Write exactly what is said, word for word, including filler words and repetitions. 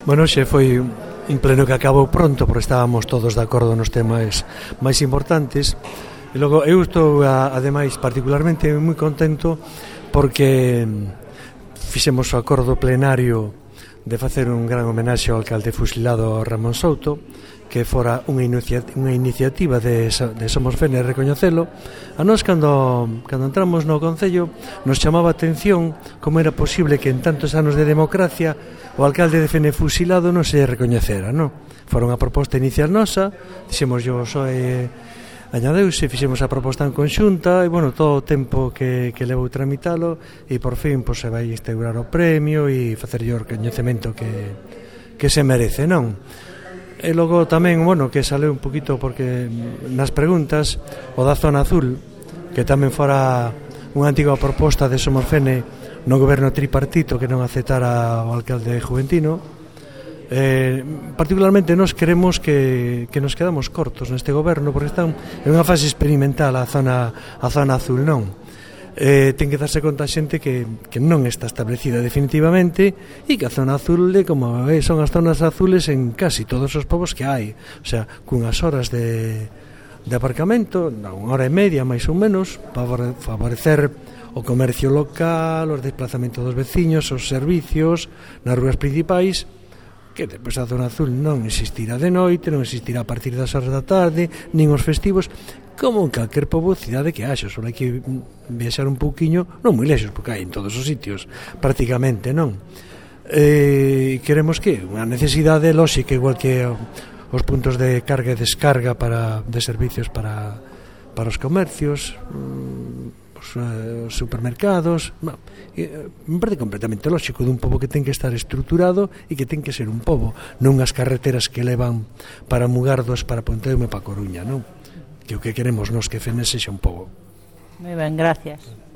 Bueno, xe foi un pleno que acabou pronto porque estábamos todos de acordo nos temas máis importantes. E logo eu estou ademais particularmente moi contento porque fixemos o acordo plenario de facer un gran homenaxe ao alcalde fusilado Ramón Souto, que fora unha, inicia, unha iniciativa de, de Somos Fene recoñecelo. A nós cando, cando entramos no Concello nos chamaba a atención como era posible que en tantos anos de democracia o alcalde de Fene fusilado non se recoñecera, non? Fora unha proposta inicial nosa, dixemos yo soe añadeuse, fixemos a proposta en conxunta e, bueno, todo o tempo que, que levou tramitalo e por fin pois, se vai instaurar o premio e facer o recoñecemento que, que se merece, non? E logo tamén, bueno, que sale un poquito porque nas preguntas o da zona azul, que tamén fora unha antiga proposta de Somos Fene no goberno tripartito que non aceptara o alcalde juventino. Eh, particularmente nos queremos que, que nos quedamos cortos neste goberno porque están en unha fase experimental a zona, a zona azul, non? Eh, ten que darse conta a xente que, que non está establecida definitivamente e que a zona azul é como eh, son as zonas azules en casi todos os povos que hai, o sea, cunhas horas de, de aparcamento, unha hora e media máis ou menos, para favorecer o comercio local, os desplazamentos dos veciños, os servicios nas rúas principais, que depois a zona azul non existirá de noite, non existirá a partir das horas da tarde, nin os festivos, como en calquer pobo cidade que haxa, só hai que viaxar un pouquiño, non moi lexos, porque hai en todos os sitios, prácticamente, non? Eh, queremos que unha necesidade lóxica, igual que os puntos de carga e descarga para, de servicios para, para os comercios, os, os supermercados, no, eh, me parece completamente lóxico dun pobo que ten que estar estruturado e que ten que ser un pobo, non as carreteras que levan para Mugardos, para Ponteume, para Coruña, non? Que o que queremos nos que Fene sexa un pobo. Moi ben, gracias.